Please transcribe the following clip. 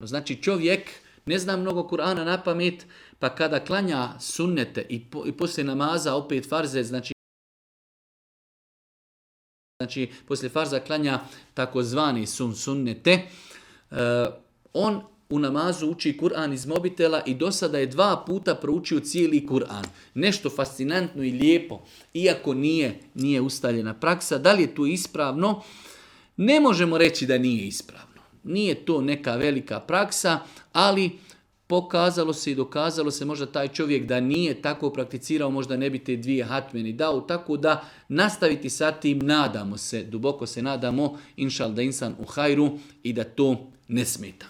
Znači čovjek ne zna mnogo Kur'ana na pamet, pa kada klanja sunnete i poslije namaza opet farze, znači poslije farza klanja takozvani sunnete, on u namazu uči Kur'an iz mobitela i do sada je 2 puta proučio cijeli Kur'an. Nešto fascinantno i lijepo, iako nije ustaljena praksa. Da li je to ispravno? Ne možemo reći da nije ispravno. Nije to neka velika praksa, ali pokazalo se i dokazalo se možda taj čovjek da nije tako prakticirao, možda ne bi te 2 hatmeni dao, tako da nastaviti sa tim, nadamo se, duboko se nadamo, inšal da insan u hajru i da to ne smeta.